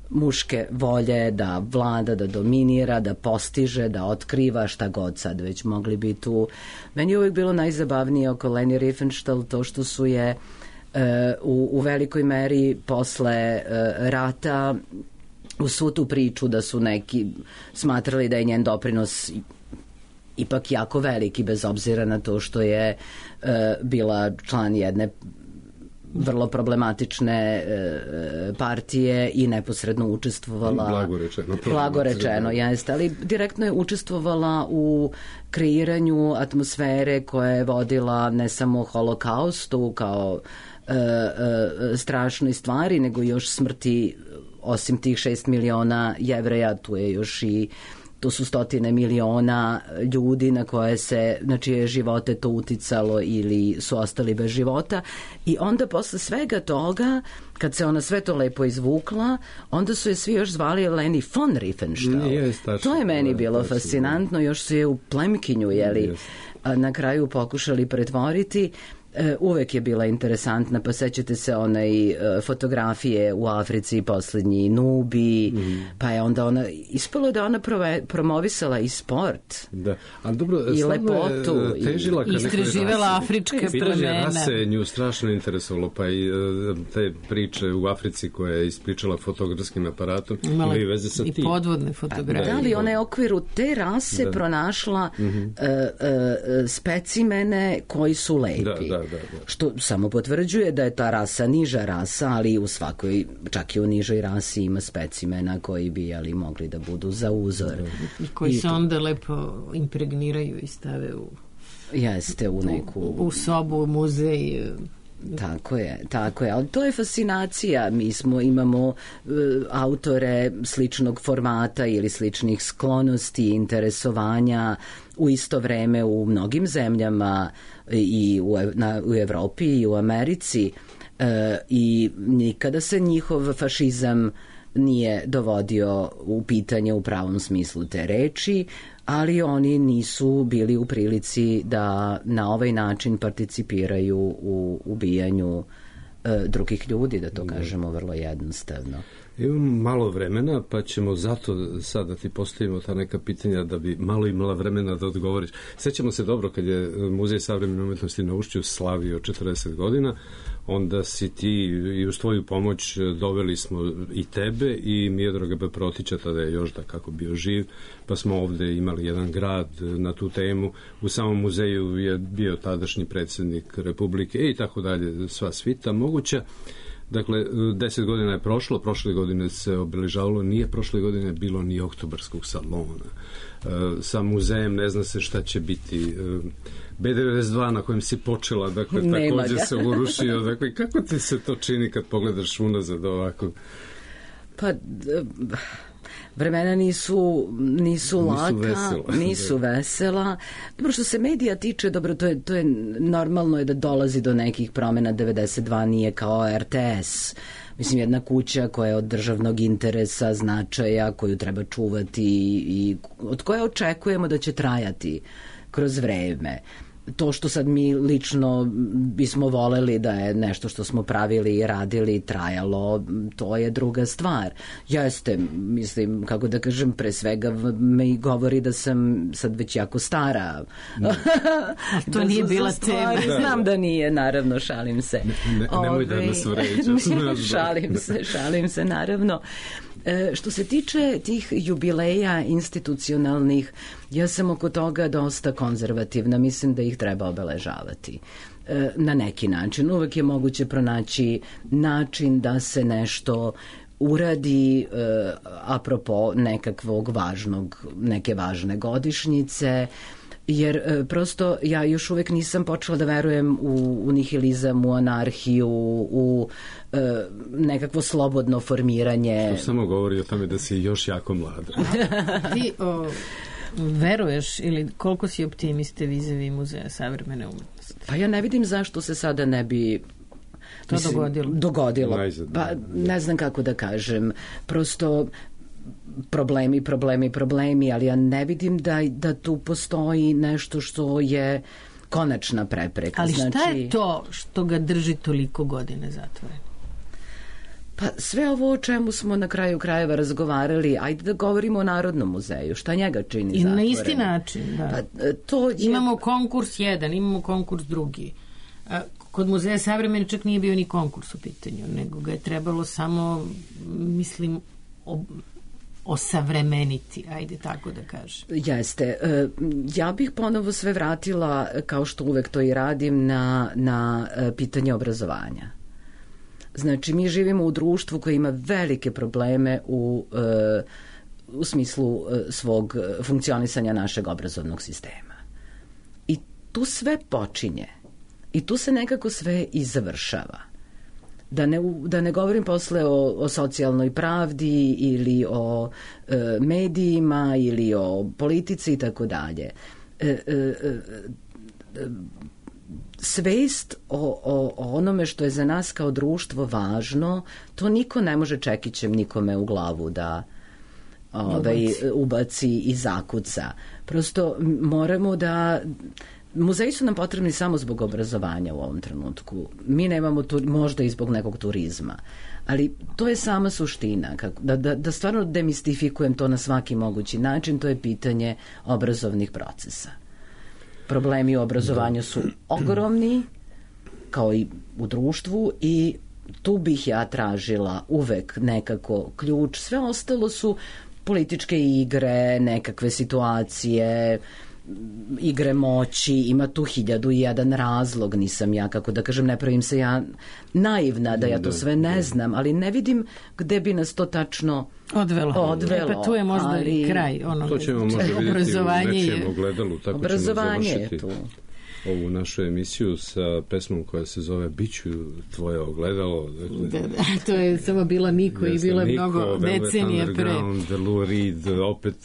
muške volje da vlada, da dominira, da postiže, da otkriva, šta god sad već mogli bi tu. Meni je uvijek bilo najzabavnije oko Leni Riefenstahl to što su je uh, u, u velikoj meri posle uh, rata u svu tu priču da su neki smatrali da je njen doprinos ipak jako veliki, bez obzira na to što je uh, bila član jedne vrlo problematične e, partije i neposredno učestvovala blago rečeno, blago rečeno jeste, ali direktno je učestvovala u kreiranju atmosfere koja je vodila ne samo holokaustu kao e, e, strašnoj stvari, nego još smrti, osim tih šest miliona Jevreja, tu je još i tu su stotine miliona ljudi na koje se, na čije živote to uticalo ili su ostali bez života. I onda posle svega toga, kad se ona sve to lepo izvukla, onda su je svi još zvali Leni von Riefenstahl. To je meni bilo fascinantno, još su je u plemkinju, jeli, na kraju pokušali pretvoriti. Uvek je bila interesantna, pa sećate se onaj fotografije u Africi, poslednji Nubi, mm. pa je onda ona, ispalo da ona prove, promovisala i sport. Da, ali dobro, i lepotu. Težila i istraživala afričke plemene. Rase nju strašno interesovalo, pa i te priče u Africi koje je ispričala fotografskim aparatom, imala i veze sa i tim. podvodne fotografije. Da li ona je u okviru te rase da. pronašla mm-hmm. uh, uh, specimene koji su lepi. Da, da. Da, da. Što samo potvrđuje da je ta rasa niža rasa, ali u svakoj, čak i u nižoj rasi ima specimena koji bi ali mogli da budu za uzor. I koji I se to... onda lepo impregniraju i stave u, jeste, u neku... U, u sobu, u muzej. Tako je, tako je, ali to je fascinacija. Mi smo, imamo uh, autore sličnog formata ili sličnih sklonosti, interesovanja u isto vreme u mnogim zemljama i u, na, u Evropi i u Americi uh, i nikada se njihov fašizam nije dovodio u pitanje u pravom smislu te reči, ali oni nisu bili u prilici da na ovaj način participiraju u ubijanju e, drugih ljudi, da to kažemo vrlo jednostavno. Imamo malo vremena, pa ćemo zato sad da ti postavimo ta neka pitanja da bi malo imala vremena da odgovoriš. Sećamo se dobro kad je Muzej savremene umetnosti na Ušću slavio četrdeset godina, onda si ti i uz tvoju pomoć doveli smo i tebe i Miodraga B. Protića, tada je još da kako bio živ, pa smo ovde imali jedan grad na tu temu. U samom muzeju je bio tadašnji predsjednik Republike i tako dalje, sva svita moguća. Dakle, deset godina je prošlo, prošle godine se obeležavalo, nije prošle godine bilo ni oktobarskog salona. Sa muzejem ne zna se šta će biti. B devedeset dva na kojem si počela, dakle, također se urušio. Dakle, kako ti se to čini kad pogledaš unazad ovako? Pa... Vremena nisu, nisu laka, nisu vesela. nisu vesela. Dobro, što se medija tiče, dobro, to je, to je normalno je da dolazi do nekih promjena. Devedeset dva nije kao R T S. Mislim, jedna kuća koja je od državnog interesa, značaja, koju treba čuvati i od koje očekujemo da će trajati kroz vreme. To što sad mi lično bismo voleli da je nešto što smo pravili i radili trajalo, to je druga stvar. Jeste, mislim, kako da kažem, pre svega me govori da sam sad već jako stara. To da nije bila tema. Znam da nije, naravno, šalim se. Ne, ne, nemoj da nas vređaš. Šalim se, šalim se, naravno. E, što se tiče tih jubileja institucionalnih, ja sam oko toga dosta konzervativna, mislim da ih treba obeležavati e, na neki način. Uvek je moguće pronaći način da se nešto uradi e, apropo nekakvog važnog, neke važne godišnjice, jer e, prosto ja još uvek nisam počela da verujem u, u nihilizam, u anarhiju, u e, nekakvo slobodno formiranje. To samo govori o tome da si još jako mlada. Ti o, veruješ ili koliko si optimiste vizavi Muzeja savremene umetnosti? Pa ja ne vidim zašto se sada ne bi to mislim, dogodilo. Dogodilo. Pa ne znam kako da kažem. Prosto problemi, problemi, problemi, ali ja ne vidim da, da tu postoji nešto što je konačna prepreka. Ali šta znači, je to što ga drži toliko godine zatvoreno? Pa sve ovo o čemu smo na kraju krajeva razgovarali, ajde da govorimo o Narodnom muzeju, šta njega čini zatvoreno? I na isti način, da. Pa, to je... Imamo konkurs jedan, imamo konkurs drugi. Kod Muzeja savremene čak nije bio ni konkurs u pitanju, nego ga je trebalo samo, mislim, ob... osavremeniti, ajde tako da kažem. Jeste. Ja bih ponovo sve vratila, kao što uvek to i radim, na, na pitanje obrazovanja. Znači, mi živimo u društvu koje ima velike probleme u, u smislu svog funkcionisanja našeg obrazovnog sistema. I tu sve počinje. I tu se nekako sve i završava. Da ne, da ne govorim posle o, o socijalnoj pravdi ili o e, medijima ili o politici i tako dalje. E, e, e, svest o, o, o onome što je za nas kao društvo važno, to niko ne može čekićem nikome u glavu da ovaj, ubaci i zakuca. Prosto moramo da... Muzeji su nam potrebni samo zbog obrazovanja u ovom trenutku. Mi nemamo tu, možda i zbog nekog turizma. Ali to je sama suština. Kako, da, da, da stvarno demistifikujem to na svaki mogući način, to je pitanje obrazovnih procesa. Problemi u obrazovanju su ogromni, kao i u društvu, i tu bih ja tražila uvek nekako ključ. Sve ostalo su političke igre, nekakve situacije, igre moći, ima tu hiljadu i jedan razlog, nisam ja, kako da kažem, ne pravim se ja naivna da ja to sve ne znam, ali ne vidim gde bi nas to tačno odvelo. odvelo e pa tu je možda ali... i kraj onoga. To ćemo možda vidjeti u nečijem ogledalu, tako obrazovanje ćemo završiti ovu našu emisiju sa pesmom koja se zove Biću tvoje ogledalo. Dakle, da, da, to je samo bila Niko i bilo je mnogo decenije pre. Lou Reed, opet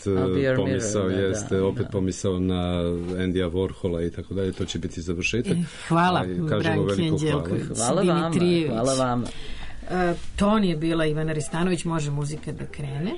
pomisao mirror, jeste, da, opet da. pomisao na Andija Warhola i tako dalje, to će biti završetak. Hvala, Branki Anđelković, hvala vama, hvala vama. Uh, ton je bila Ivana Ristanović, može muzika da krene.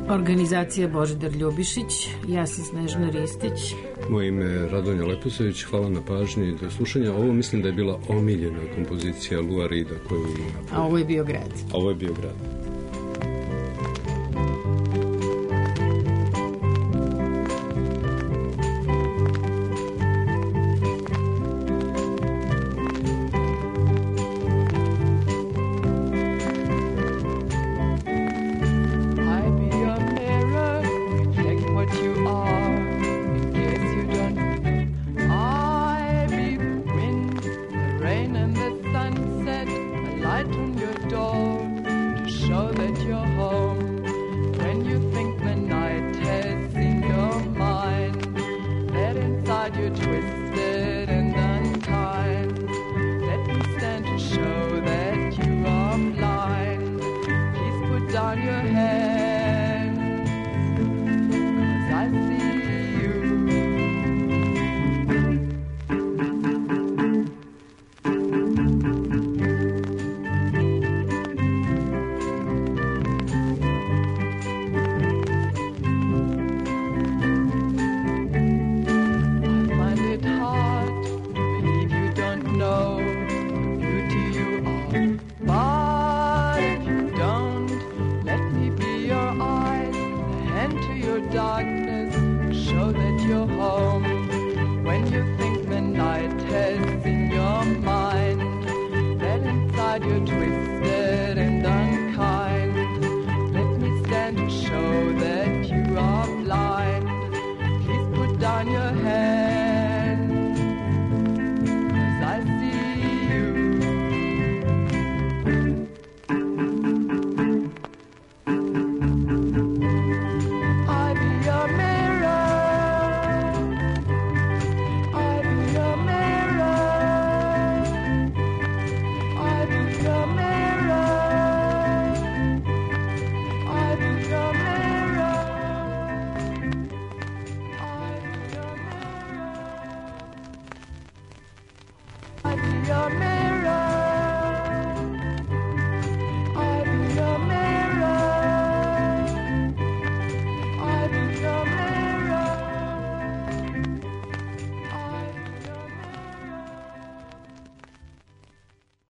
Organizacija Božidar Ljubišić, ja sam Snežana Ristić. Moje ime je Radonja Leposević, hvala na pažnji i do slušanja. Ovo mislim da je bila omiljena kompozicija Lua Reeda koju je napravila. A ovo je bio grad. A ovo je bio grad. When you think the night has in your mind, then inside you're twisted